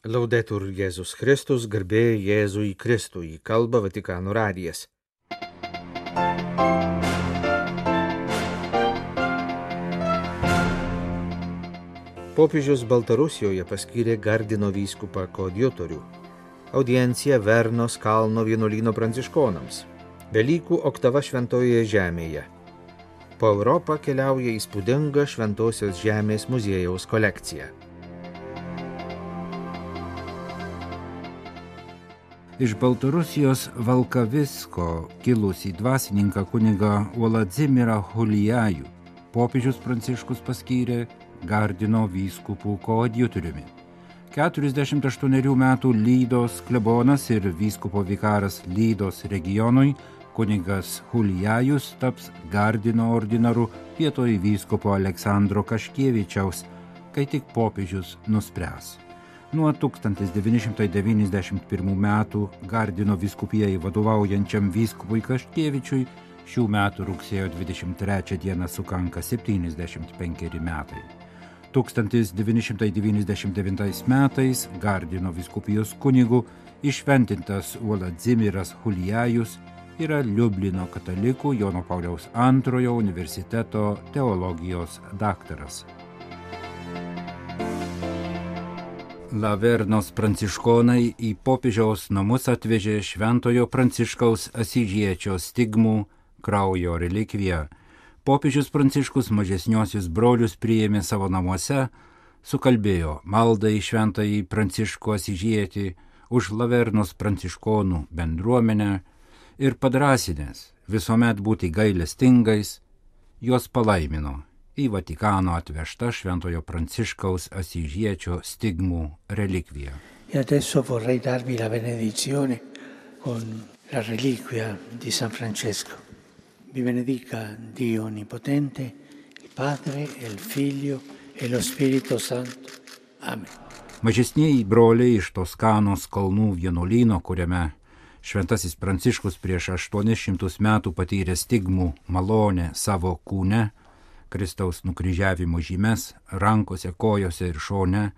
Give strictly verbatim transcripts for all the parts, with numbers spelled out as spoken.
Laudetur Jėzus Kristus, garbė Jėzui Kristui, kalba Vatikano radijas. Popiežius Baltarusijoje paskyrė Gardino vyskupą koadjutorių. Audiencija Vernos kalno vienuolyno pranciškonams. Velykų oktava šventojoje žemėje. Po Europą keliauja įspūdinga Šventosios žemės muziejaus kolekcija. Iš Baltarusijos Valkavisko kilusį dvasininką kunigą Vladimirą Hulijajų popiežius Pranciškus paskyrė Gardino vyskupų koadjutoriumi. keturiasdešimt aštuonerių metų Lydos klebonas ir vyskupo vikaras Lydos regionui kunigas Hulijajus taps Gardino ordinaru vietoj vyskupo Aleksandro Kaškievičiaus, kai tik popiežius nuspręs. Nuo tūkstantis devyni šimtai devyniasdešimt pirmų metų Gardino vyskupijai vadovaujančiam vyskupui Kaškievičiui šių metų rugsėjo dvidešimt trečią dieną sukanka septyniasdešimt penkeri metai. tūkstantis devyni šimtai devyniasdešimt devintais metais Gardino vyskupijos kunigu iššventintas Vladimiras Hulijajus yra Liublino katalikų Jono Pauliaus antrojo universiteto teologijos daktaras. Lavernos pranciškonai į popiežiaus namus atvežė Šventojo Pranciškaus Asyžiečio stigmų kraujo relikviją. Popiežius Pranciškus mažesniosius brolius priėmė savo namuose, sukalbėjo maldą į Šventąjį Pranciškų Asyžietį už Lavernos pranciškonų bendruomenę ir padrasinęs visuomet būti gailestingais, juos palaimino į Vatikano atvežtą Šventojo Pranciškaus Asyžiečio stigmų relikviją. E adesso vorrei darvi la benedizione con la reliquia di San Francesco. Vi benedica Dio Onnipotente, il Padre, il Figlio e lo Spirito Santo. Amen. Mažesnieji broliai iš Toskanos kalnų vienuolyno, kuriame Šventasis Pranciškus prieš aštuonis šimtus metų patyrė stigmų malonę savo kūne, Kristaus nukryžiavimo žymes rankose, kojose ir šone,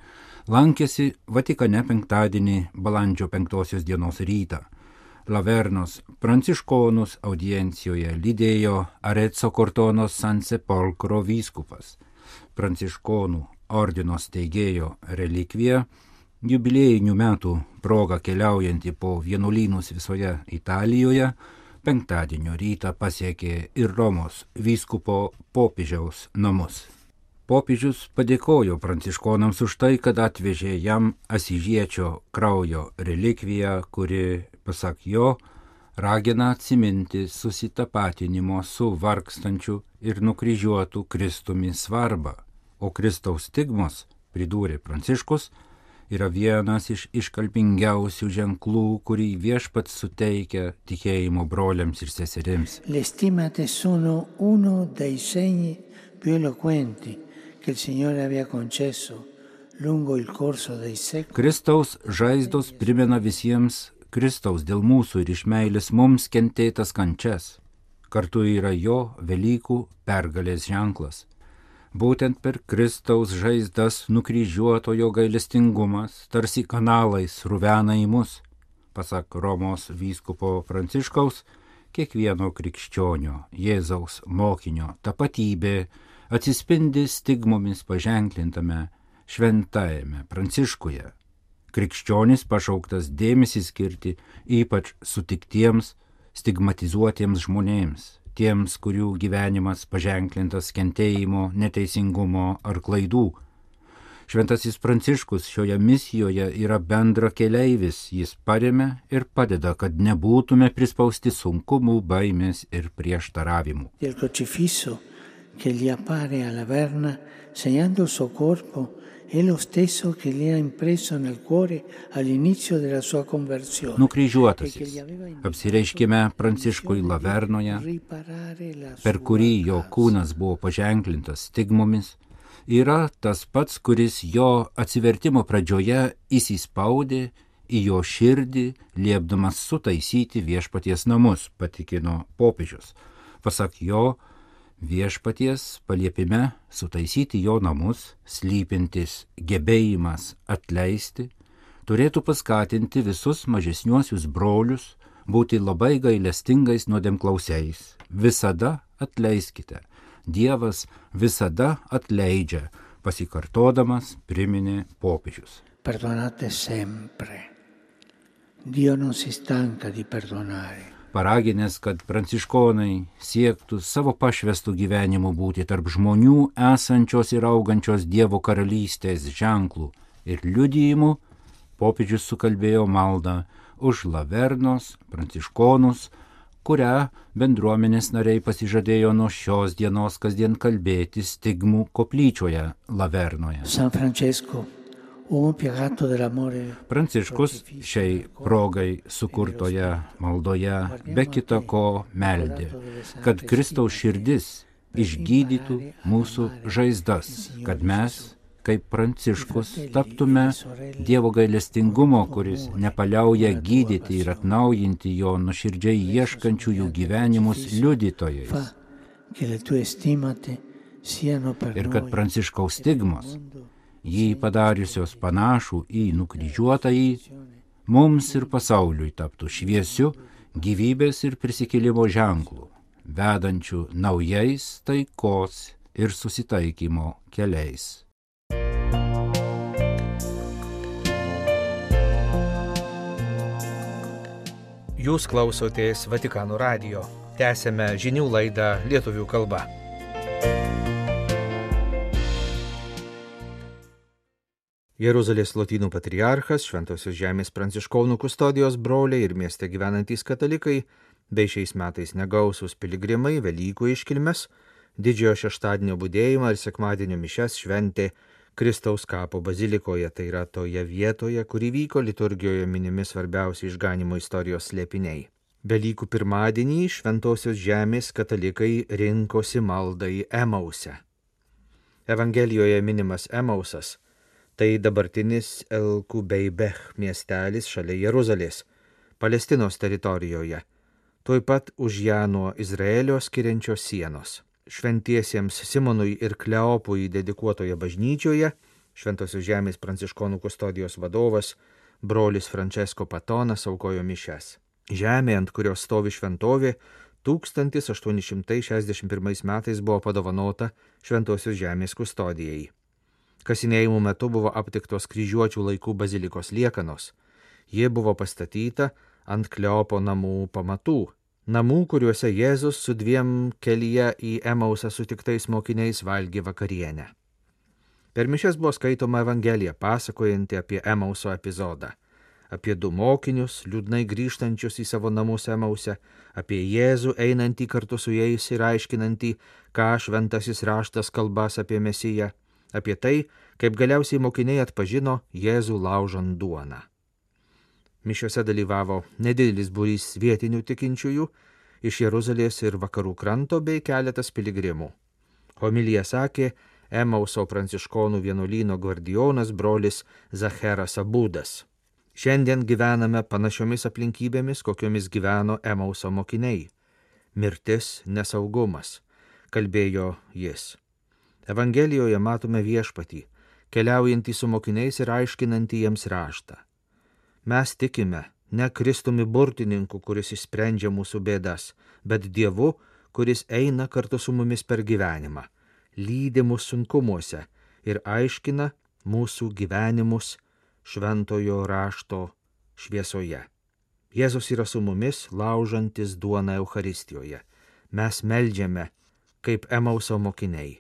lankėsi Vatikane penktadienį balandžio penktosios dienos rytą. Lavernos pranciškonus audiencijoje lydėjo Arezzo Cortonos San Sepolcro vyskupas. Pranciškonų ordino steigėjo relikvija, jubiliejinių metų proga keliaujanti po vienuolynus visoje Italijoje, penktadienio rytą pasiekė ir Romos vyskupo popiežiaus namus. Popiežius padėkojo pranciškonams už tai, kad atvežė jam Asyžiečio kraujo relikviją, kuri, pasak jo, ragina atsiminti susitapatinimo su vargstančiu ir nukryžiuotu Kristumi svarbą, o Kristaus stigmos, pridūrė Pranciškus, yra vienas iš iškalbingiausių ženklų, kurį Viešpats suteikia tikėjimo broliams ir seserims. Le stigmate sono uno dei segni più eloquenti che il Signore aveva concesso lungo il corso dei secoli. Kristaus žaizdos primena visiems Kristaus dėl mūsų ir iš meilės mums kentėtas kančias. Kartu yra jo Velykų pergalės ženklas. Būtent per Kristaus žaizdas nukryžiuotojo gailestingumas tarsi kanalais ruvena į mus. Pasak Romos vyskupo Pranciškaus, kiekvieno krikščionio, Jėzaus mokinio tapatybė atsispindi stigmomis paženklintame šventajame Pranciškuje. Krikščionis pašauktas dėmesį skirti ypač sutiktiems, stigmatizuotiems žmonėms, tiems, kurių gyvenimas paženklintas kentėjimo, neteisingumo ar klaidų. Šventasis Pranciškus šioje misijoje yra bendra keleivis, jis paremia ir padeda, kad nebūtume prispausti sunkumų, baimės ir prieštaravimų. Il crocifisso che gli appare alla Verna segnando il suo corpo è lo stesso che gli ha impresso nel cuore all'inizio della sua conversione. Nukryžiuotasis, apsireiškime Pranciškui Lavernoje, per kurį jo kūnas buvo paženklintas stigmomis, yra tas pats, kuris jo atsivertimo pradžioje įsispaudė į jo širdį, liepdamas sutaisyti Viešpaties namus, patikino popiežius. Pasak jo, Viešpaties paliepime sutaisyti jo namus, slypintis gebėjimas atleisti, turėtų paskatinti visus mažesniuosius brolius būti labai gailestingais nuodėmklausiais. Visada atleiskite. Dievas visada atleidžia, pasikartodamas priminė popiežius. Perdonate sempre. Dio non si stanca di perdonare. Paraginęs, kad pranciškonai siektų savo pašvestų gyvenimų būti tarp žmonių esančios ir augančios Dievo karalystės ženklų ir liudijimų, popiežius sukalbėjo maldą už Lavernos pranciškonus, kurią bendruomenės nariai pasižadėjo nuo šios dienos kasdien kalbėti Stigmų koplyčioje Lavernoje. San Francesco, uomo piegato dell'amore. Pranciškus šiai progai sukurtoje maldoje be kita ko meldė, kad Kristaus širdis išgydytų mūsų žaizdas, kad mes, kaip Pranciškus, taptume Dievo gailestingumo, kuris nepaliauja gydyti ir atnaujinti jo nuoširdžiai ieškančiųjų gyvenimus liudytojais. Ir kad Pranciškaus stigmos, jį padariusios panašų į nukryžiuotąjį, mums ir pasauliui taptų šviesiu gyvybės ir prisikėlimo ženklų, vedančių naujais taikos ir susitaikymo keliais. Jūs klausotės Vatikano radijo. Tęsėme žinių laidą lietuvių kalba. Jeruzalės Lotynų patriarchas, Šventosios žemės pranciškonų kustodijos broliai ir mieste gyvenantys katalikai, bei šiais metais negausus piligrimai Velykų iškilmes, didžiojo šeštadienio budėjimą ir sekmadienio mišias šventė Kristaus kapo bazilikoje, tai yra toje vietoje, kur įvyko liturgijoje minimi svarbiausi išganimo istorijos slėpiniai. Velykų pirmadienį Šventosios žemės katalikai rinkosi maldai Emause. Evangelijoje minimas Emausas, tai dabartinis El Kubeibech miestelis šalia Jeruzalės, Palestinos teritorijoje, tuoj pat už ją nuo Izraelio skiriančios sienos. Šventiesiems Simonui ir Kleopui dedikuotoje bažnyčioje Šventosios žemės pranciškonų kustodijos vadovas, brolis Francesco Patonas aukojo mišias. Žemė, ant kurios stovi šventovė, tūkstantis aštuoni šimtai šešiasdešimt pirmais metais buvo padovanota Šventosios žemės kustodijai. Kasinėjimų metu buvo aptiktos kryžiuočių laikų bazilikos liekanos. Ji buvo pastatyta ant Kleopo namų pamatų. Namų, kuriuose Jėzus su dviem kelyje į Emausą sutiktais mokiniais valgė vakarienę. Per mišias buvo skaitoma Evangelija, pasakojanti apie Emauso epizodą, apie du mokinius, liūdnai grįžtančius į savo namus Emause, apie Jėzų einantį kartu su jais ir aiškinantį, ką šventasis raštas kalbas apie Mesiją, apie tai, kaip galiausiai mokiniai atpažino Jėzų laužant duoną. Mišiose dalyvavo nedidelis būrys vietinių tikinčiųjų iš Jeruzalės ir vakarų kranto bei keletas piligrimų. Homilija sakė Emauso pranciškonų vienuolyno gvardijonas brolis Zacheras Abudas. Šiandien gyvename panašiomis aplinkybėmis, kokiomis gyveno Emauso mokiniai. Mirtis, nesaugumas, kalbėjo jis. Evangelijoje matome viešpatį, keliaujantį su mokiniais ir aiškinantį jiems raštą. Mes tikime ne Kristumi burtininku, kuris išsprendžia mūsų bėdas, bet Dievu, kuris eina kartu su mumis per gyvenimą, lydi mus sunkumuose ir aiškina mūsų gyvenimus šventojo rašto šviesoje. Jėzus yra su mumis, laužantis duoną Eucharistijoje. Mes meldžiame, kaip Emauso mokiniai.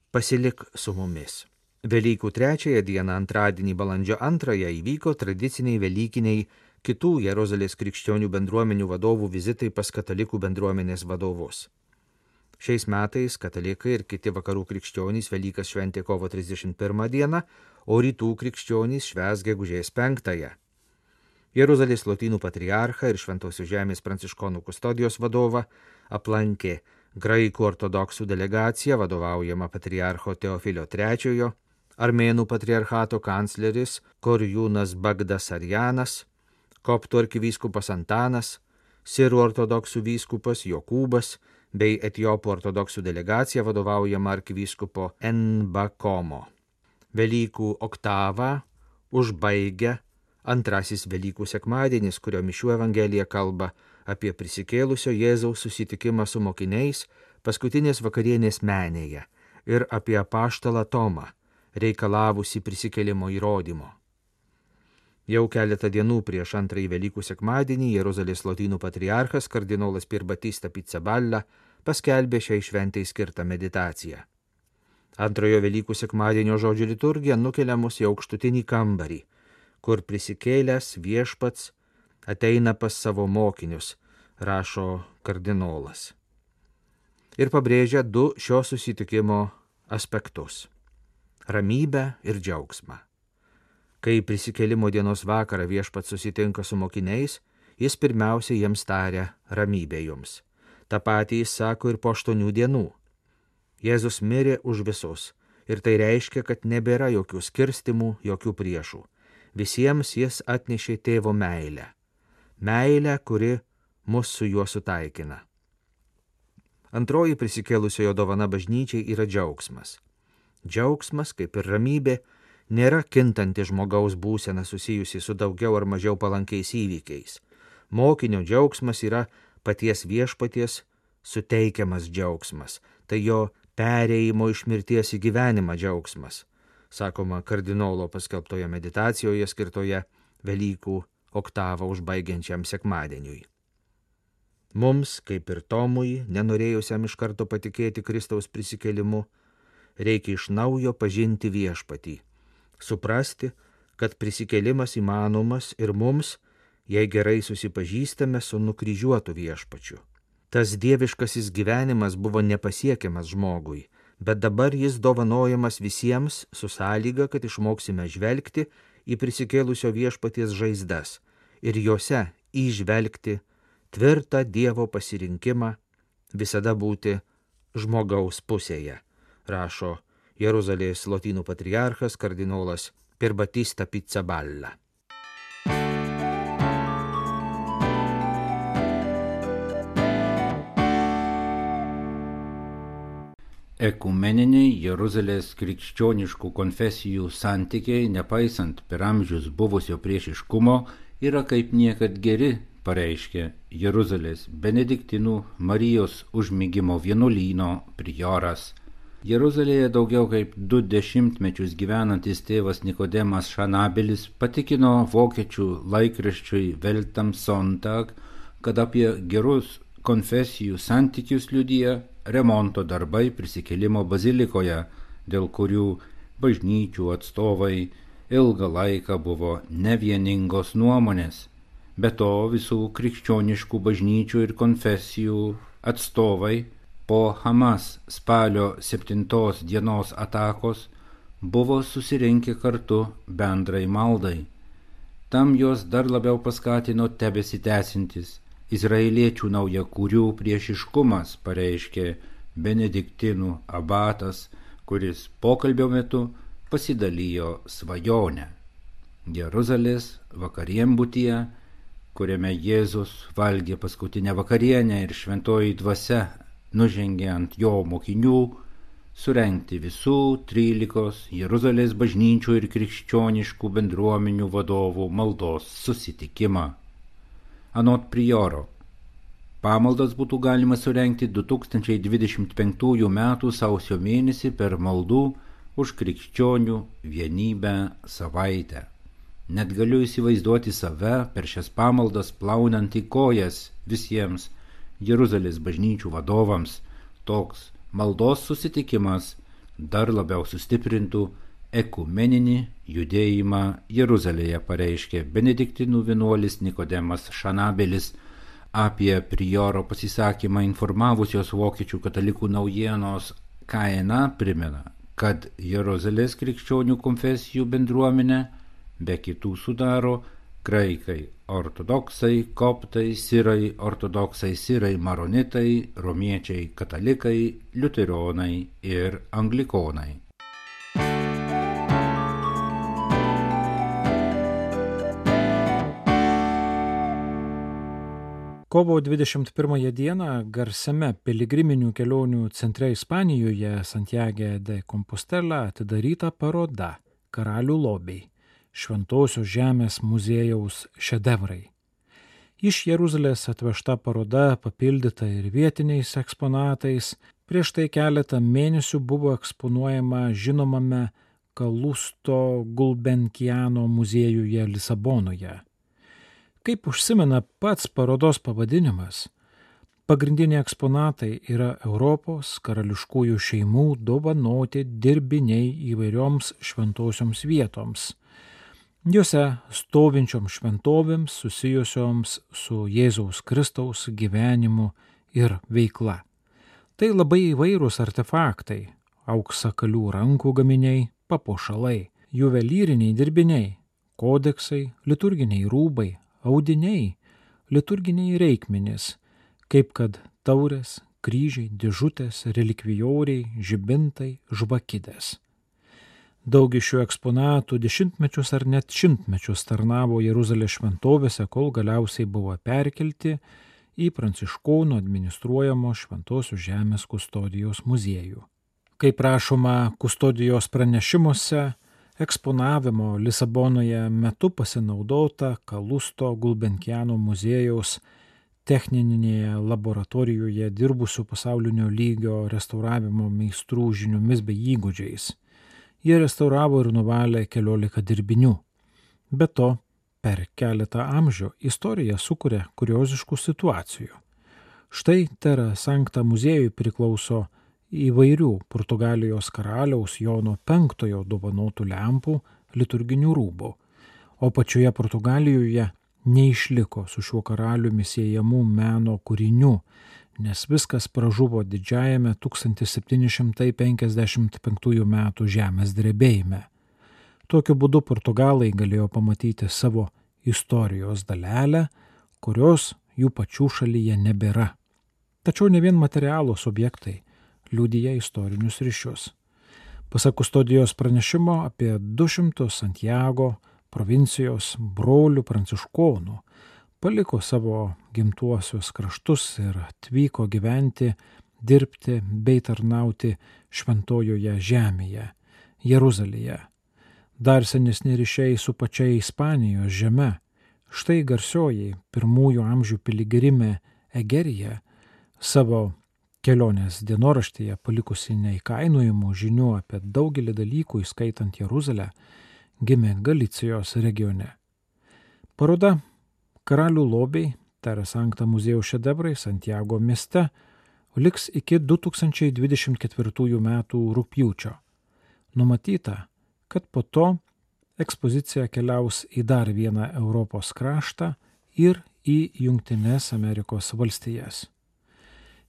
Pasilik su mumis. Velykų trečiąją dieną, antradienį balandžio antrąją, įvyko tradiciniai velykiniai kitų Jeruzalės krikščionių bendruomenių vadovų vizitai pas katalikų bendruomenės vadovus. Šiais metais katalikai ir kiti vakarų krikščionys Velykas šventė kovo trisdešimt pirmą dieną, o rytų krikščionys švęs gegužės penktąją. Jeruzalės Lotynų patriarchą ir Šventosios žemės pranciškonų kustodijos vadovą aplankė graikų ortodoksų delegacija vadovaujama patriarcho Teofilio trečiojo, Armėnų patriarchato kancleris Korjūnas Bagdasarjanas, koptų arkivyskupas Antanas, sirų ortodoksų vyskupas Jokūbas bei etiopų ortodoksų delegacija vadovaujama arkivyskupo Enbakomo. Velykų oktavą užbaigia Antrasis Velykų sekmadienis, kurio mišių evangelija kalba apie prisikėlusio Jėzaus susitikimą su mokiniais paskutinės vakarienės menėje ir apie apaštalą Tomą, reikalavusi prisikėlimo įrodymo. Jau keletą dienų prieš antrąjį Velykų sekmadienį Jeruzalės lotynų patriarchas kardinolas Pier Battista Pizzaballa paskelbė šiai šventai skirtą meditaciją. Antrojo Velykų sekmadienio žodžių liturgija nukelia mus į aukštutinį kambarį, kur prisikėlęs viešpats ateina pas savo mokinius, rašo kardinolas. Ir pabrėžia du šio susitikimo aspektus – ramybę ir džiaugsmą. Kai prisikėlimo dienos vakarą viešpats susitinka su mokiniais, jis pirmiausia jiems taria ramybė jums. Ta patį jis sako ir po aštuonių dienų. Jėzus mirė už visus ir tai reiškia, kad nebėra jokių skirstimų, jokių priešų. Visiems jis atnešė tėvo meilę. Meilę, kuri mus su juo sutaikina. Antroji prisikėlusiojo dovana bažnyčiai yra džiaugsmas. Džiaugsmas, kaip ir ramybė, nėra kintanti žmogaus būsena susijusi su daugiau ar mažiau palankiais įvykiais. Mokinio džiaugsmas yra paties viešpaties suteikiamas džiaugsmas, tai jo perėjimo iš mirties į gyvenimą džiaugsmas, sakoma kardinolo paskelbtoje meditacijoje skirtoje Velykų oktavą užbaigiančiam sekmadieniui. Mums, kaip ir Tomui, nenorėjusiam iš karto patikėti Kristaus prisikėlimu, reikia iš naujo pažinti viešpatį, suprasti, kad prisikėlimas įmanomas ir mums, jei gerai susipažįstame su nukryžiuotu viešpačiu. Tas dieviškasis gyvenimas buvo nepasiekiamas žmogui, bet dabar jis dovanojamas visiems su sąlyga, kad išmoksime žvelgti į prisikėlusio viešpaties žaizdas ir juose įžvelgti tvirtą Dievo pasirinkimą visada būti žmogaus pusėje, rašo Jeruzalės lotynų patriarchas kardinolas Pier Battista Pizzaballa. Ekumeniniai Jeruzalės krikščioniškų konfesijų santykiai, nepaisant per amžius buvusio priešiškumo, yra kaip niekad geri, pareiškė Jeruzalės benediktinų Marijos užmigimo vienuolyno prioras. Jeruzalėje daugiau kaip du dešimtmečius gyvenantis tėvas Nikodemas Šanabelis patikino vokiečių laikraščiui Welt am Sonntag, kad apie gerus konfesijų santykius liudija remonto darbai prisikėlimo bazilikoje, dėl kurių bažnyčių atstovai ilgą laiką buvo nevieningos nuomonės. Be to visų krikščioniškų bažnyčių ir konfesijų atstovai po Hamas spalio septintos dienos atakos buvo susirinkę kartu bendrai maldai. Tam jos dar labiau paskatino tebesitęsintis izraeliečių naujakurių priešiškumas, pareiškė benediktinų abatas, kuris pokalbio metu pasidalijo svajonę. Jeruzalės vakarienbutyje, kuriame Jėzus valgė paskutinę vakarienę ir šventoji dvasia nužengė ant jo mokinių, surengti visų trylikos Jeruzalės bažnyčių ir krikščioniškų bendruomenių vadovų maldos susitikimą. Anot prioro, pamaldas būtų galima surengti du tūkstančiai dvidešimt penktųjų metų sausio mėnesį per maldų už krikščionių vienybę savaitę. Net galiu įsivaizduoti save per šias pamaldas plaunant į kojas visiems Jeruzalės bažnyčių vadovams. Toks maldos susitikimas dar labiau sustiprintų ekumeninį judėjimą Jeruzalėje, pareiškė benediktinų vienuolis Nikodemas Šanabelis. Apie prioro pasisakymą informavusios vokiečių katalikų naujienos K N A primena, kad Jeruzalės krikščionių konfesijų bendruomenė be kitų sudaro graikai ortodoksai, koptai, sirai ortodoksai, sirai maronitai, romiečiai katalikai, liuteronai ir anglikonai. Kovo dvidešimt pirmąją dieną garsiame piligriminių kelionių centre Ispanijoje Santiago de Compostela atidaryta paroda Karalių lobiai. Šventosios žemės muziejaus šedevrai. Iš Jeruzalės atvežta paroda, papildyta ir vietiniais eksponatais, prieš tai keletą mėnesių buvo eksponuojama žinomame Kalusto Gulbenkiano muziejuje Lisabonoje. Kaip užsimena pats parodos pavadinimas, pagrindiniai eksponatai yra Europos karališkųjų šeimų dovanoti dirbiniai įvairioms šventosioms vietoms. Juose stovinčioms šventovėms susijusioms su Jėzaus Kristaus gyvenimu ir veikla. Tai labai įvairūs artefaktai, auksakalių rankų gaminiai, papuošalai, juvelyriniai dirbiniai, kodeksai, liturginiai rūbai, audiniai, liturginiai reikmenys, kaip kad taurės, kryžiai, dėžutės, relikvijoriai, žibintai, žvakidės. Daug iš šių eksponatų dešimtmečius ar net šimtmečius tarnavo Jeruzalės šventovėse, kol galiausiai buvo perkelti į pranciškonų administruojamo Šventosios žemės kustodijos muziejų. Kaip rašoma kustodijos pranešimuose, eksponavimo Lisabonoje metu pasinaudota Kalusto Gulbenkiano muziejaus techninėje laboratorijoje dirbusių pasaulinio lygio restauravimo meistrų žiniomis bei įgūdžiais. Jie restauravo ir nuvalė keliolika dirbinių. Be to, per keletą amžių istorija sukuria kurioziškų situacijų. Štai Terra Sancta muziejui priklauso įvairių Portugalijos karaliaus Jono penktojo dovanotų lempų liturginių rūbų, o pačioje Portugalijoje neišliko su šiuo karaliumi siejamų meno kūrinių, nes viskas pražuvo didžiajame tūkstantis septyni šimtai penkiasdešimt penktųjų metų žemės drebėjime. Tokiu būdu Portugalai galėjo pamatyti savo istorijos dalelę, kurios jų pačių šalyje nebėra. Tačiau ne vien materialūs objektai liudija istorinius ryšius. Pasak kustodijos pranešimo, apie du šimtus Santiago provincijos brolių pranciškonų paliko savo gimtuosius kraštus ir atvyko gyventi, dirbti bei tarnauti šventojoje žemėje, Jeruzalėje. Dar senesni ryšiai su pačia Ispanijos žeme. Štai garsioji pirmųjų amžių piligrimė Egerija savo kelionės dienoraštyje palikusi neįkainojamų žinių apie daugelį dalykų, įskaitant Jeruzalę, gimė Galicijos regione. Paroda Karalių lobiai, Terra Sancta muziejaus šedevrai Santiago mieste liks iki du tūkstančiai dvidešimt ketvirtųjų metų rugpjūčio. Numatyta, kad po to ekspozicija keliaus į dar vieną Europos kraštą ir į Jungtines Amerikos valstijas.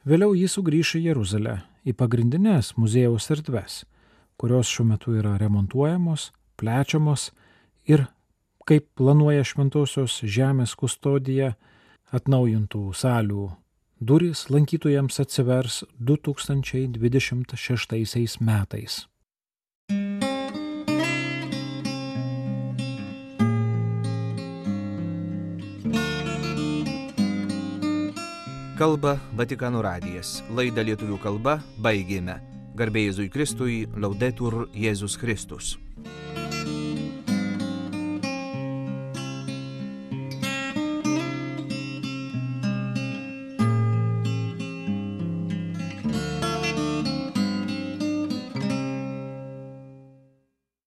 Vėliau jis sugrįš į Jeruzalę, į pagrindinės muziejaus erdves, kurios šiuo metu yra remontuojamos, plečiamos ir, kaip planuoja Šventosios žemės kustodija, atnaujintų salių durys lankytojams atsivers du tūkstančiai dvidešimt šeštaisiais metais. Kalba Vatikano radijas. Laidą lietuvių kalba baigėme. Garbė Jėzui Kristui, Laudetur Jėzus Kristus.